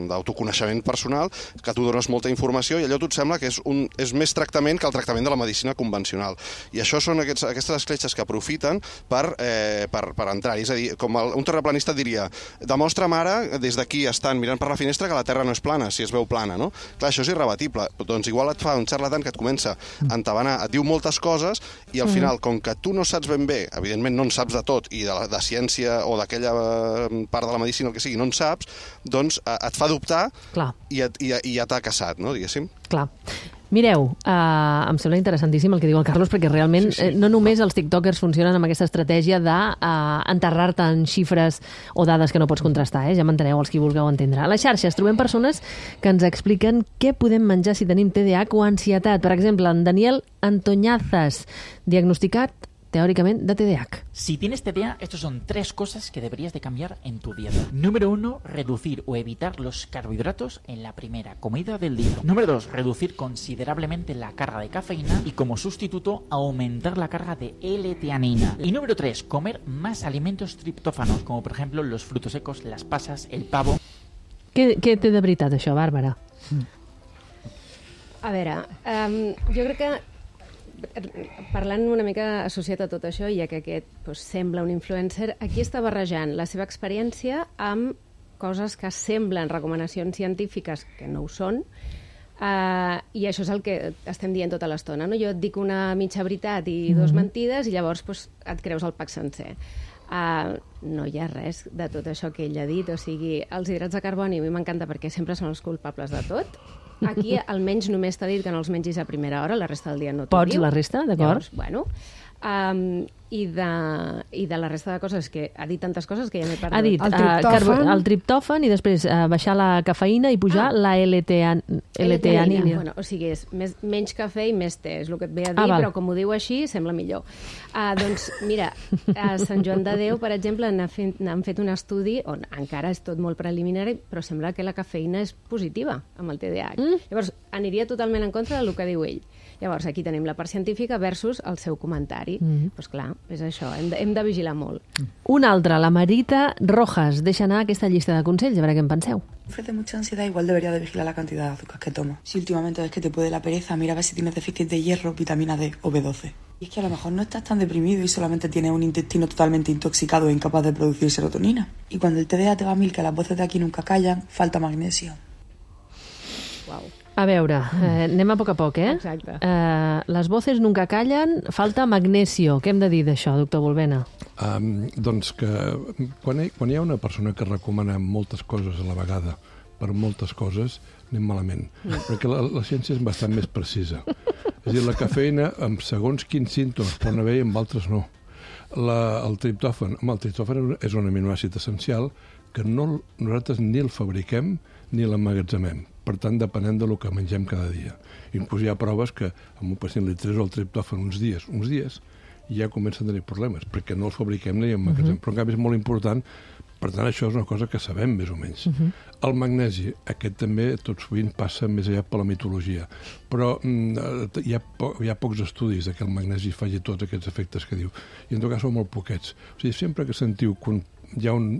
d'autoconeixement personal, que tu dones molta informació i allò a tu et sembla que és més tractament que el tractament de la medicina convencional. I això són aquestes escletxes que aprofiten per entrar-hi. És a dir, com un terraplanista diria, demostra'm ara, des d'aquí estant mirant per la finestra, que la Terra no és plana, si es veu plana, no? Clar, això és irrebatible. Doncs igual et fa un xarlatan que et comença a entabanar, et diu moltes coses i al final, com que tu no saps ben bé, evidentment no en saps de tot, i de ciència o d'aquella part de la medicina, el que sigui, no en saps, doncs et fa dubtar i ja t'ha caçat, no, diguéssim. Clar. Mireu, em sembla interessantíssim el que diu el Carlos, perquè realment no només els tiktokers funcionen amb aquesta estratègia d'enterrar-te en xifres o dades que no pots contrastar, ja m'enteneu els qui vulgueu entendre. A les xarxes trobem persones que ens expliquen què podem menjar si tenim TDAH o ansietat. Per exemple, en Daniel Antoñazas, diagnosticat teóricamente de TDAH. Si tienes TDAH, estos son 3 cosas que deberías de cambiar en tu dieta. Número 1, reducir o evitar los carbohidratos en la primera comida del día. Número 2, reducir considerablemente la carga de cafeína y como sustituto aumentar la carga de L-teanina. Y número 3, comer más alimentos triptófanos, como por ejemplo los frutos secos, las pasas, el pavo. Què té de veritat això, Bàrbara? A veure, jo crec que parlant una mica associat a tot això, ja que aquest sembla un influencer, aquí està barrejant la seva experiència amb coses que semblen recomanacions científiques que no ho són, i això és el que estem dient tota l'estona, no? Jo et dic una mitja veritat i 2 mentides i llavors et creus el pack sencer. No hi ha res de tot això que ell ha dit, o sigui, els hidrats de carboni a mi m'encanta perquè sempre són els culpables de tot. Aquí almenys només t'ha dit que no els mengis a primera hora, la resta del dia no t'ho diu. Pots la resta, d'acord? Llavors, bueno, i de la resta de coses, que ha dit tantes coses que ja m'he perdut. Ha dit el triptòfan i després baixar la cafeïna i pujar la L-teanina. Bueno, o sigui, és menys cafè i més te, és el que et ve a dir, però com ho diu així, sembla millor. Doncs mira, a Sant Joan de Déu, per exemple, han fet un estudi on encara és tot molt preliminari, però sembla que la cafeïna és positiva amb el TDAH. Llavors, aniria totalment en contra del que diu ell. Llavors, aquí tenim la part científica versus el seu comentari. Doncs clar, és això, hem de vigilar molt. Una altra, la Marita Rojas. Deixa anar aquesta llista de consells, a veure què en penseu. Ofrece mucha ansiedad, igual debería de vigilar la cantidad de azúcar que toma. Si últimamente ves que te puede la pereza, mira a ver si tienes déficit de hierro, vitamina D o B12. Y es que a lo mejor no estás tan deprimido y solamente tienes un intestino totalmente intoxicado e incapaz de producir serotonina. Y cuando el TDAH te va a mil, que las voces de aquí nunca callan, falta magnesio. Wow. A veure, anem a poc, eh? Exacte. Les voces nunca callen, falta magnesio. Què hem de dir d'això, doctor Volvena? Doncs que quan hi ha una persona que recomana moltes coses a la vegada per moltes coses, anem malament. Perquè la ciència és bastant més precisa. És a dir, la cafeïna, amb segons quins símptomes poden haver i amb altres no. El triptòfan és un aminoàcid essencial que nosaltres ni el fabriquem ni l'emmagatzemem. Per tant, depenent del que mengem cada dia. Inclús hi ha proves que a un pacient li treus el triptòfan uns dies, i ja comencen a tenir problemes, perquè no els fabriquem ni emmagatzemem. Però en canvi és molt important, per tant això és una cosa que sabem més o menys. El magnesi, aquest també tot sovint passa més allà per la mitologia, però hi ha pocs estudis que el magnesi faci tots aquests efectes que diu, i en tot cas són molt poquets. O sigui, sempre que sentiu que hi ha un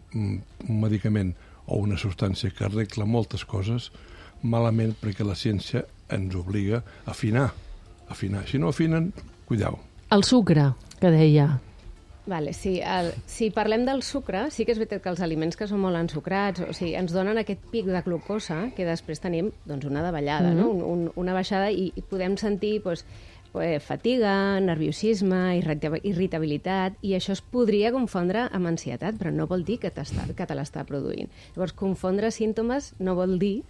medicament o una substància que arregla moltes coses, malament, perquè la ciència ens obliga a afinar. Si no afinen, cuideu. El sucre, que deia. Vale, sí, si parlem del sucre, sí que és veritat que els aliments que són molt ensucrats, o sigui, ens donen aquest pic de glucosa que després tenim doncs, una davallada, no? Una baixada i podem sentir fatiga, nerviosisme, irritabilitat, i això es podria confondre amb ansietat, però no vol dir que te l'està produint. Llavors, confondre símptomes no vol dir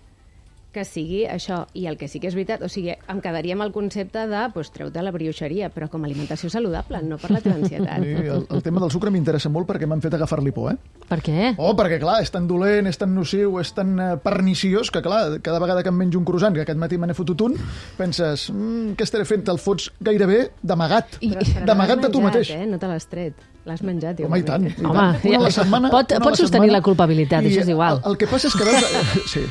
que sigui això. I el que sí que és veritat, o sigui, em quedaria amb el concepte de treu-te la brioixeria, però com a alimentació saludable, no per la teva ansietat. Sí, el tema del sucre m'interessa molt perquè m'han fet agafar-li por, Per què? Perquè, clar, és tan dolent, és tan nociu, és tan perniciós que, clar, cada vegada que em menjo un croissant, que aquest matí me n'he fotut un, penses, què estaré fent? Te'l fots gairebé d'amagat. D'amagat de tu mateix. No te l'has tret. L'has menjat. Home, i tant. Home, pots sostenir la culpabilitat, això és igual. El que passa és que veus... Sí.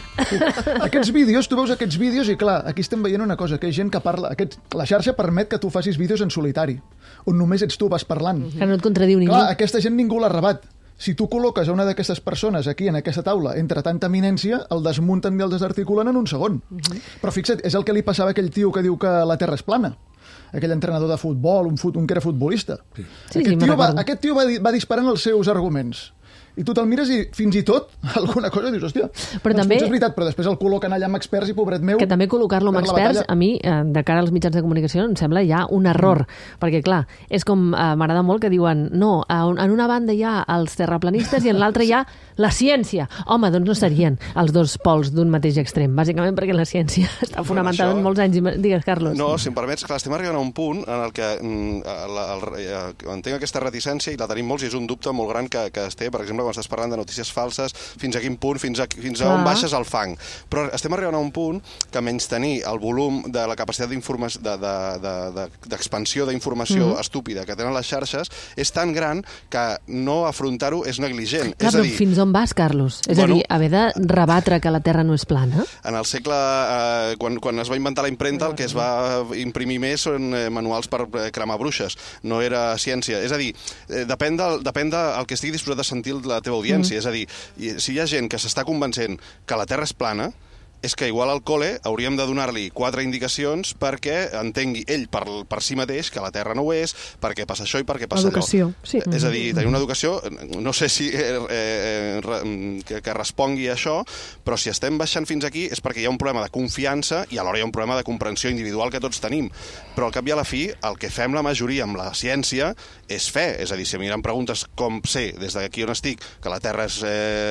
Aquests vídeos, tu veus aquests vídeos i, clar, aquí estem veient una cosa, que hi ha gent que parla... La xarxa permet que tu facis vídeos en solitari, on només ets tu, vas parlant. Que no et contradiu ningú. Clar, aquesta gent ningú l'ha rebat. Si tu col·loques a una d'aquestes persones aquí, en aquesta taula, entre tanta eminència, el desmunten i el desarticulen en un segon. Però fixa't, és el que li passava a aquell tio que diu que la Terra és plana. Aquell entrenador de futbol, un que era futbolista. Aquest tio va disparant els seus arguments. I tu te'l mires i fins i tot alguna cosa dius, hòstia, però doncs també, és veritat, però després el col·loquen allà amb experts i pobret meu... Que també col·locar-lo amb experts, a mi, de cara als mitjans de comunicació, em sembla ja un error, perquè clar, és com, m'agrada molt que diuen, no, en una banda hi ha els terraplanistes i en l'altra hi ha la ciència. Home, doncs no serien els dos pols d'un mateix extrem, bàsicament perquè la ciència està fonamentada en molts anys. Digues, Carlos. No, si em permets, clar, estem arribant a un punt en el que entenc aquesta reticència i la tenim molts i és un dubte molt gran que es té, per exemple, quan estàs parlant de notícies falses, fins a quin punt, fins a on baixes el fang. Però estem arribant a un punt que menystenir el volum de la capacitat d'expansió d'informació estúpida que tenen les xarxes és tan gran que no afrontar-ho és negligent. Clar, però fins on vas, Carlos? És a dir, haver de rebatre que la Terra no és plana? En el segle... Quan es va inventar la impremta, el que es va imprimir més són manuals per cremar bruixes. No era ciència. És a dir, depèn del que estigui disposat a sentir la teva audiència. És a dir, si hi ha gent que s'està convencent que la Terra és plana, és que igual al col·le hauríem de donar-li 4 indicacions perquè entengui ell per si mateix que la Terra no ho és, perquè passa això i perquè passa educació, allò. Sí. És a dir, tenir una educació, no sé si que respongui a això, però si estem baixant fins aquí és perquè hi ha un problema de confiança i alhora hi ha un problema de comprensió individual que tots tenim. Però al cap i a la fi, el que fem la majoria amb la ciència és fe. És a dir, si a mi em preguntes com sé, des d'aquí on estic, que la Terra és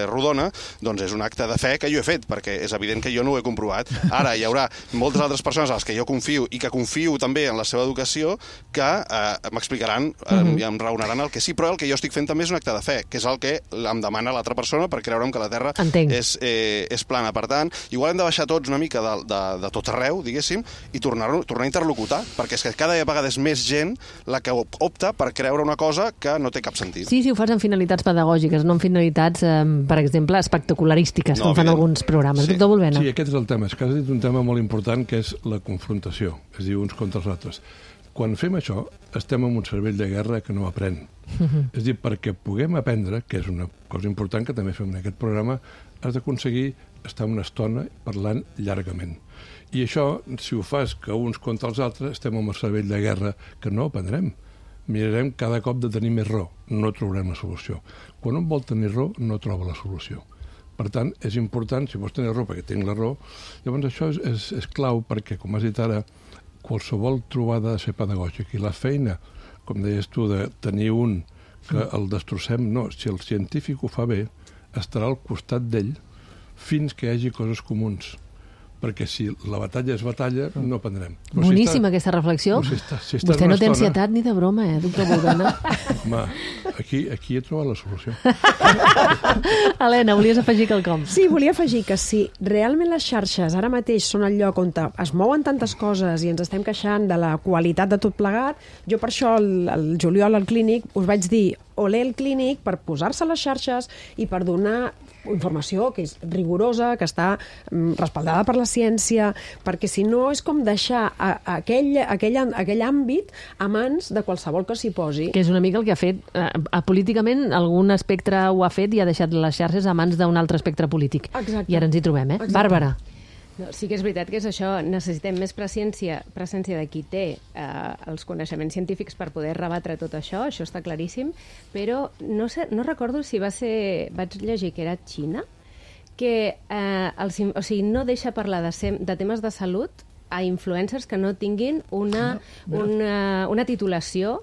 rodona, doncs és un acte de fe que jo he fet, perquè és evident que jo no ho he comprovat. Ara hi haurà moltes altres persones a les que jo confio i que confio també en la seva educació que m'explicaran i em raonaran el que sí, però el que jo estic fent també és un acte de fe, que és el que em demana l'altra persona per creure'm que la Terra és plana. Per tant, igual hem de baixar tots una mica de tot arreu, diguéssim, i tornar a interlocutar, perquè és que cada vegada és més gent la que opta per creure una cosa que no té cap sentit. Sí, si ho fas amb finalitats pedagògiques, no amb finalitats, per exemple, espectacularístiques, com fan alguns programes. Víctor Volvena. Sí, aquest és el tema. És que has dit un tema molt important, que és la confrontació, és a dir, uns contra els altres. Quan fem això, estem en un cervell de guerra que no aprèn. És a dir, perquè puguem aprendre, que és una cosa important que també fem en aquest programa, has d'aconseguir estar una estona parlant llargament. I això, si ho fas que uns contra els altres, estem en un cervell de guerra que no aprendrem. Mirarem cada cop de tenir més raó, no trobarem la solució. Quan un vol tenir raó, no troba la solució. Per tant, és important, si vols tenir raó, perquè tinc la raó, llavors això és clau perquè, com has dit ara, qualsevol trobada ha de ser pedagògica. I la feina, com deies tu, de tenir un que el destrossem, no. Si el científic ho fa bé, estarà al costat d'ell fins que hi hagi coses comuns. Perquè si la batalla és batalla, no aprendrem. Boníssima aquesta reflexió. Vostè no té ansietat ni de broma, doctor Volvena? Home, aquí he trobat la solució. Helena, volies afegir quelcom? Sí, volia afegir que si realment les xarxes ara mateix són el lloc on es mouen tantes coses i ens estem queixant de la qualitat de tot plegat, jo per això el juliol al Clínic us vaig dir olé el Clínic per posar-se a les xarxes i per donar informació que és rigorosa, que està respaldada per la ciència, perquè si no és com deixar aquell àmbit a mans de qualsevol que s'hi posi. Que és una mica el que ha fet, políticament algun espectre ho ha fet i ha deixat les xarxes a mans d'un altre espectre polític. Exacte. I ara ens hi trobem, Exacte. Bàrbara. No, sí que és veritat que és això, necessitem més presència de qui té els coneixements científics per poder rebatre tot això està claríssim, però no recordo si vaig llegir que era Xina, que no deixa parlar de temes de salut a influencers que no tinguin una titulació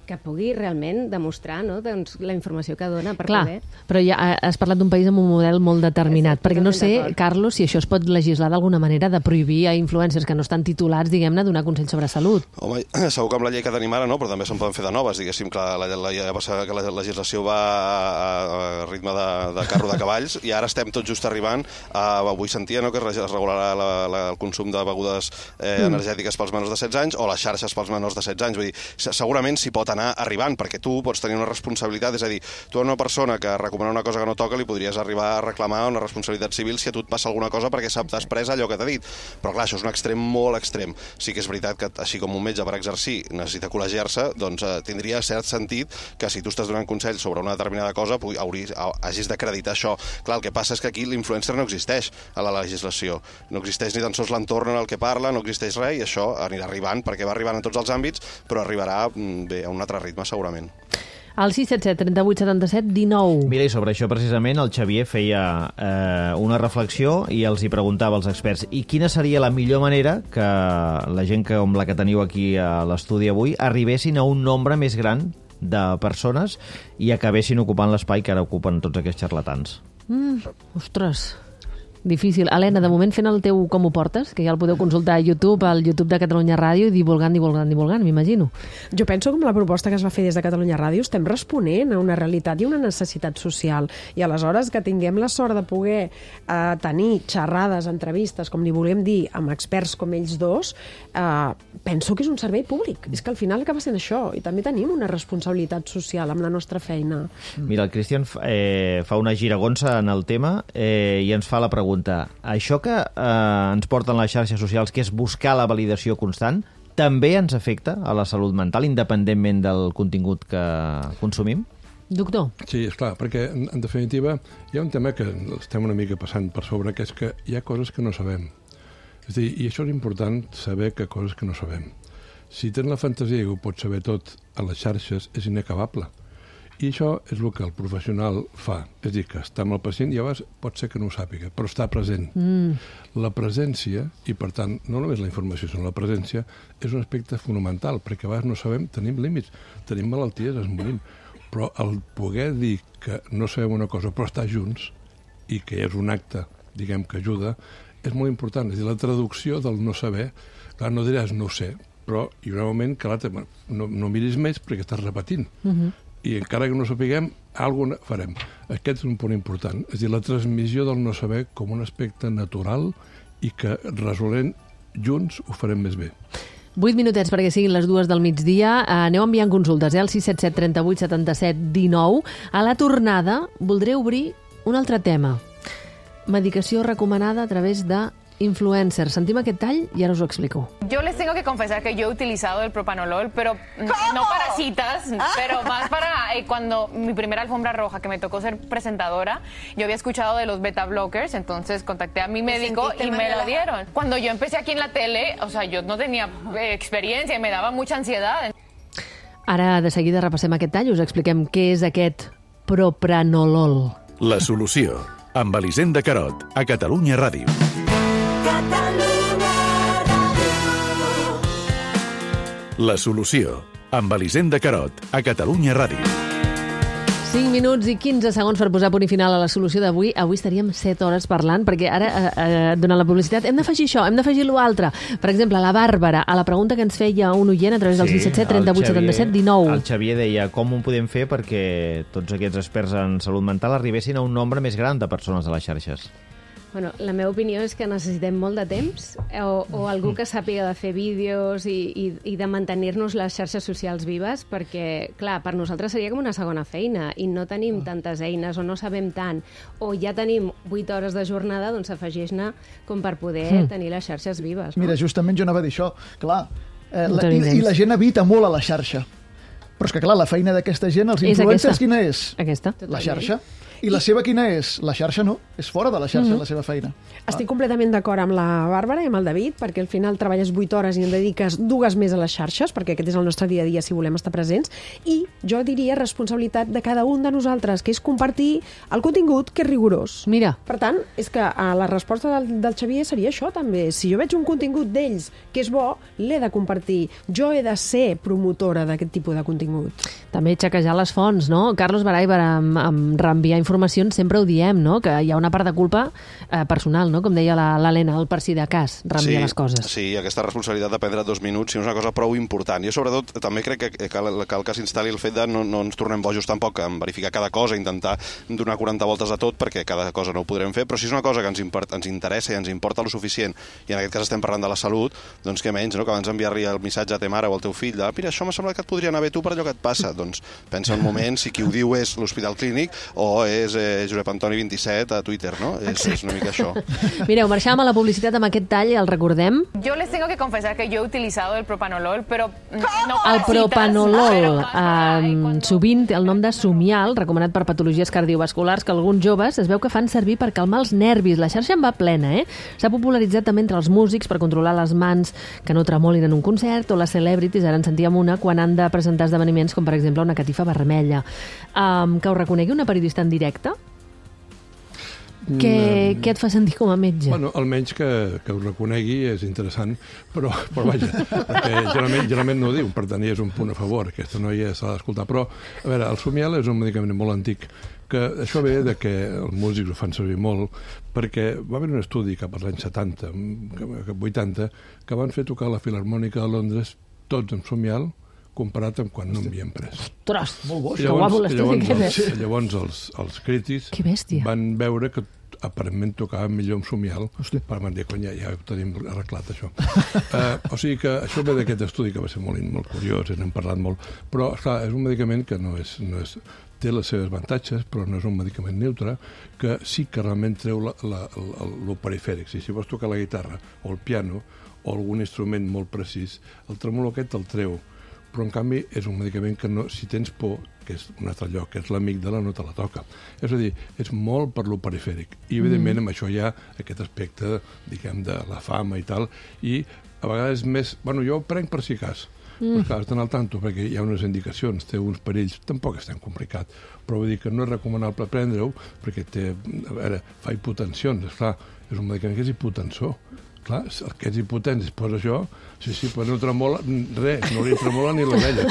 que pugui realment demostrar doncs, la informació que dona per poder... Però ja has parlat d'un país amb un model molt determinat, perquè no sé, Carlos, si això es pot legislar d'alguna manera de prohibir a influencers que no estan titulats, diguem-ne, donar consell sobre salut. Home, segur que amb la llei que tenim ara no, però també se'n poden fer de noves, diguéssim, que la legislació va a ritme de carro de cavalls i ara estem tot just arribant avui sentia que es regularà el consum de begudes energètiques pels menors de 16 anys o les xarxes pels menors de 16 anys. Vull dir, segurament s'hi pot anar arribant, perquè tu pots tenir una responsabilitat, és a dir, tu a una persona que recomana una cosa que no toca li podries arribar a reclamar una responsabilitat civil si a tu et passa alguna cosa perquè s'ha després allò que t'ha dit. Però clar, això és un extrem molt extrem. Sí que és veritat que així com un metge per exercir necessita col·legiar-se, doncs tindria cert sentit que si tu estàs donant consells sobre una determinada cosa hagis d'acreditar això. Clar, el que passa és que aquí l'influencer no existeix a la legislació. No existeix ni tan sols l'entorn en el que parla, no existeix res i això anirà arribant perquè va arribant en tots els àmbits, però arribarà bé a un altre ritme segurament. Al 677 38 77 19. Mira, i sobre això precisament el Xavier feia una reflexió i els hi preguntava als experts i quina seria la millor manera que la gent com la que teniu aquí a l'estudi avui arribessin a un nombre més gran de persones i acabessin ocupant l'espai que ara ocupen tots aquests xarlatans. Ostres... Difícil. Helena, de moment fent el teu Com ho portes, que ja el podeu consultar a YouTube, al YouTube de Catalunya Ràdio, i divulgant, m'imagino. Jo penso que amb la proposta que es va fer des de Catalunya Ràdio estem responent a una realitat i una necessitat social. I aleshores que tinguem la sort de poder tenir xerrades, entrevistes, com li volem dir, amb experts com ells dos, penso que és un servei públic. És que al final acaba sent això. I també tenim una responsabilitat social amb la nostra feina. Mira, el Cristian fa una giragonsa en el tema i ens fa la pregunta. Això que ens porten les xarxes socials, que és buscar la validació constant, també ens afecta a la salut mental, independentment del contingut que consumim? Doctor? Sí, esclar, perquè en definitiva hi ha un tema que estem una mica passant per sobre, que és que hi ha coses que no sabem. És a dir, i això és important, saber que coses que no sabem. Si tens la fantasia que ho pots saber tot a les xarxes, és inacabable. I això és el que el professional fa. És a dir, que està amb el pacient i a vegades pot ser que no ho sàpiga, però està present. La presència, i per tant, no només la informació, sinó la presència, és un aspecte fonamental, perquè a vegades no sabem, tenim límits, tenim malalties, ens morim. Però el poder dir que no sabem una cosa, però estar junts, i que és un acte, diguem, que ajuda, és molt important. És a dir, la traducció del no saber, clar, no diràs no sé, però hi haurà un moment que l'altre, no miris més perquè estàs repetint. I encara que no sapiguem, alguna farem. Aquest és un punt important. És a dir, la transmissió del no saber com un aspecte natural i que resolent junts ho farem més bé. 8 minutets perquè siguin les 2 del migdia. Aneu enviant consultes, al 677 38 77 19. A la tornada voldré obrir un altre tema. Medicació recomanada a través de influencers. Sentim aquest tall i ara us ho explico. Yo les tengo que confesar que yo he utilizado el propanolol, pero no para citas, pero más para cuando mi primera alfombra roja, que me tocó ser presentadora, yo había escuchado de los beta blockers, entonces contacté a mi médico y me lo dieron. Cuando yo empecé aquí en la tele, o sea, yo no tenía experiencia y me daba mucha ansiedad. Ara de seguida repassem aquest tall i us expliquem què és aquest propranolol. La solució, amb Elisenda Carot, a Catalunya Ràdio. La solució, amb Elisenda Carot, a Catalunya Ràdio. 5 minuts i 15 segons per posar punt i final a la solució d'avui. Avui estaríem 7 hores parlant, perquè ara, durant la publicitat, hem d'afegir això, hem d'afegir l'altre. Per exemple, la Bàrbara, a la pregunta que ens feia un oient a través del 677 38 77 19. El Xavier deia com ho podem fer perquè tots aquests experts en salut mental arribessin a un nombre més gran de persones a les xarxes. Bueno, la meva opinió és que necessitem molt de temps o algú que sàpiga de fer vídeos i de mantenir-nos les xarxes socials vives, perquè, clar, per nosaltres seria com una segona feina i no tenim tantes eines o no sabem tant, o ja tenim 8 hores de jornada, doncs afegeix-ne com per poder tenir les xarxes vives. No? Mira, justament jo anava a dir això, clar, i la gent evita molt a la xarxa. Però és que, clar, la feina d'aquesta gent, els influencers, quina és? Aquesta. La xarxa. I la seva quina és? La xarxa no, és fora de la xarxa la seva feina. Estic completament d'acord amb la Bàrbara i amb el David, perquè al final treballes 8 hores i en dediques 2 més a les xarxes, perquè aquest és el nostre dia a dia si volem estar presents, i jo diria responsabilitat de cada un de nosaltres, que és compartir el contingut que és rigorós. Mira. Per tant, és que la resposta del Xavier seria això també. Si jo veig un contingut d'ells que és bo, l'he de compartir. Jo he de ser promotora d'aquest tipus de contingut. També xequejar les fonts, no? Carlos Baray, per reenviar informacions, sempre ho diem, no? Que hi ha una part de culpa personal, no? Com deia l'Helena, el per si de cas, reenviar les coses. Sí, aquesta responsabilitat de prendre 2 minuts és una cosa prou important. Jo, sobretot, també crec que cal que s'instal·li el fet de no ens tornem bojos tampoc en verificar cada cosa, intentar donar 40 voltes a tot, perquè cada cosa no ho podrem fer, però si és una cosa que ens interessa i ens importa lo suficient, i en aquest cas estem parlant de la salut, doncs què menys, no? Que abans d'enviar-li el missatge a ta mare o al teu fill de mira, això m'ha semblat que et podria anar bé tu per allò que et passa, doncs pensa un moment si qui ho diu és l'Hospital Clínic o és Josep Antoni 27 a Twitter, no? És una mica això. Mireu, marxàvem a la publicitat amb aquest tall, el recordem. Yo les tengo que confesar que yo he utilizado el propanolol, pero no el propanolol, sovint té el nom de Somial, recomanat per patologies cardiovasculars, que alguns joves es veu que fan servir per calmar els nervis. La xarxa en va plena, S'ha popularitzat també entre els músics per controlar les mans que no tremolin en un concert, o les celebrities, ara en sentíem una, quan han de presentar esdeveniments com, per exemple, una catifa vermella. Que ho reconegui una periodista en directe? Què et fa sentir com a metge? Bueno, almenys que ho reconegui és interessant, però vaja, perquè generalment no ho diu, per tant, és un punt a favor, aquesta noia s'ha d'escoltar. Però, a veure, el Somial és un medicament molt antic, que això ve de que els músics ho fan servir molt, perquè va haver un estudi cap als anys 70, cap 80, que van fer tocar la Filharmònica de Londres tots amb Somial, comparat amb quan no m'havien pres. Ostres, molt bo, que guapo l'estudi que és. Llavors els crítics van veure que aparentment tocava millor amb Somial, per dir, cony, ja ho tenim arreglat, això. O sigui que això ve d'aquest estudi, que va ser molt curiós, n'hem parlat molt, però, esclar, és un medicament que no és té les seves avantatges, però no és un medicament neutre, que sí que realment treu lo perifèric. Si vols tocar la guitarra o el piano o algun instrument molt precís, el tremolo aquest el treu. Però, en canvi, és un medicament que no, si tens por, que és un altre lloc, que és l'amígdala, no te la toca. És a dir, és molt per lo perifèric. I, evidentment, amb això hi ha aquest aspecte, diguem, de la fama i tal, i a vegades més... Bueno, jo ho prenc per si cas, perquè has d'anar al tanto, perquè hi ha unes indicacions, té uns perills, tampoc és tan complicat, però vull dir que no és recomanable prendre-ho, perquè fa hipotensions, esclar, és un medicament que és hipotensor. Clar, el que és hipotent es posa això, sí, però no tremola res, no li tremola ni l'orella.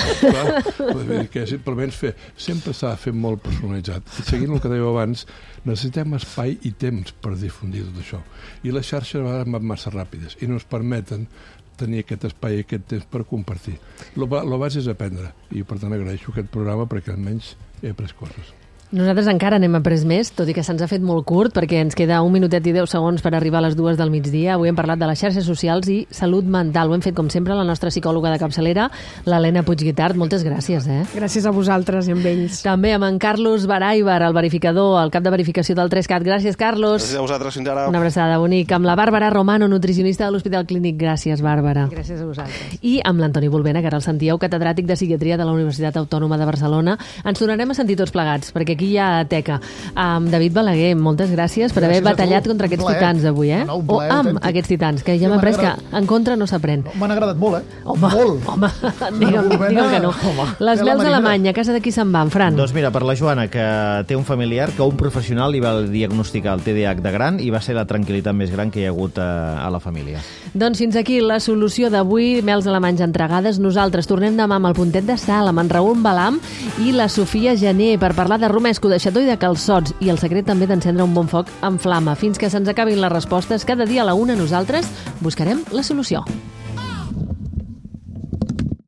Vull dir que simplement sempre s'ha de fer molt personalitzat. I seguint el que dèieu abans, necessitem espai i temps per difundir tot això. I les xarxes a vegades van massa ràpides i no ens permeten tenir aquest espai i aquest temps per compartir. Lo base és aprendre, i per tant agraeixo aquest programa perquè almenys he après coses. Nosaltres encara n'hem après més, tot i que se'ns ha fet molt curt, perquè ens queda 1 minutet i 10 segons per arribar a les 2 del migdia. Avui hem parlat de les xarxes socials i salut mental. Ho hem fet, com sempre, la nostra psicòloga de capçalera, l'Helena Puigguitart. Moltes gràcies, Gràcies a vosaltres i amb ells. També amb en Carlos Baraibar, el verificador, el cap de verificació del 3CAT. Gràcies, Carlos. Gràcies a vosaltres, fins ara. Una abraçada bonica. Amb la Bàrbara Romano, nutricionista de l'Hospital Clínic. Gràcies, Bàrbara. Gràcies a vosaltres. I amb l'Antoni Volbena, que ara el sentíeu, catedràtic de psiquiatria de la Universitat Autònoma de Barcelona. Ens tornarem a sentir tots plegats, perquè aquí hi ha teca. David Balaguer, moltes gràcies per haver batallat contra aquests titans avui, o amb aquests titans, que ja m'ha après que en contra no s'aprèn. M'han agradat molt, Home, digue'm que no. Les mels d'Alemanya, a casa de qui se'n van, Fran? Doncs mira, per la Joana, que té un familiar que un professional li va diagnosticar el TDAH de gran i va ser la tranquil·litat més gran que hi ha hagut a la família. Doncs fins aquí la solució d'avui, mels alemanys entregades. Nosaltres tornem demà amb el Puntet de Sal, amb en Raül Balam i la Sofia Gené per parlar de romesco, de xató i de calçots i el secret també d'encendre un bon foc en flama. Fins que se'ns acabin les respostes, cada dia a la 1 nosaltres buscarem la solució.